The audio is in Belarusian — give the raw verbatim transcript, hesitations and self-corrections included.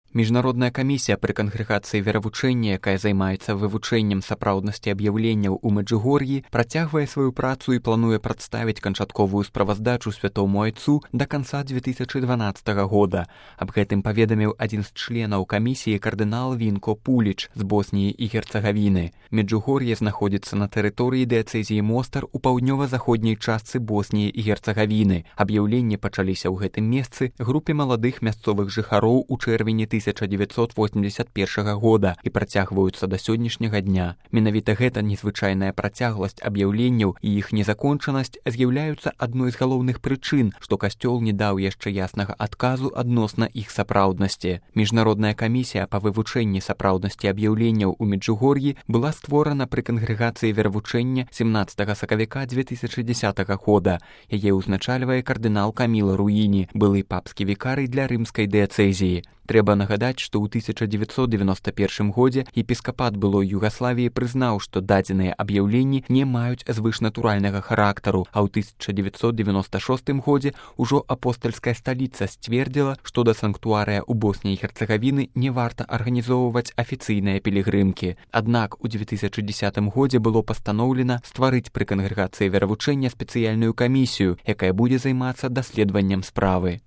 Міжнародная камісія пры кангрэгацыі веравучэння, якая займаецца вывучэннем сапраўднасці аб'яўленняў у Мэджугор'і, працягвае сваю працу і плануе прадставіць канчатковую справаздачу святому айцу да канца дзве тысячы дванаццатага года. Аб гэтым паведаміў адзін з членаў камісіі кардынал Вінко Пуліч з Босніі і Герцагавіны. Меджугор'е знаходзіцца на тэрыторыі дыяцэзіі Мостар у паўднёва-заходняй частцы Босніі і Герцагавіны. Аб'яўленні пачаліся ў гэтым месцы групе маладых мясцовых жыхароў у чэрвені тысяча дзевяцьсот восемьдесят першага года і працягваюцца да сённяшняга дня. Менавіта гэта незвычайная працягласць аб'яўленняў і іх незакончанасць з'яўляюцца адной з галоўных прычын, што касцёл не даў яшчэ яснага адказу адносна іх сапраўднасці. Міжнародная камісія па вывучэнні сапраўднасці аб'яўленняў у Меджугор'і была створана пры кангрэгацыі веравучэння сямнаццатага сакавіка дзве тысячы дзесятага года. Яе ўзначальвае кардынал Каміла Руіні, былы папскі вікарый для рымскай дыяцэзіі. Трэба нагадаць, што ў тысяча дзевяцьсот дзевяноста першым годзе епіскапат былой Югаславіі прызнаў, што дадзеныя аб'яўленні не маюць звышнатуральнага характару, а ў тысяча дзевяцьсот девяноста шостым годзе ўжо апостальская сталіца сцвердзіла, што да санктуарыя ў Босніі і Герцагавіны не варта арганізоўваць афіцыйныя пілігрымкі. Аднак у дзве тысячы дзесятым годзе было пастаноўлена стварыць пры кангрэгацыі веравучэння спецыяльную камісію, якая будзе займацца даследаваннем справы.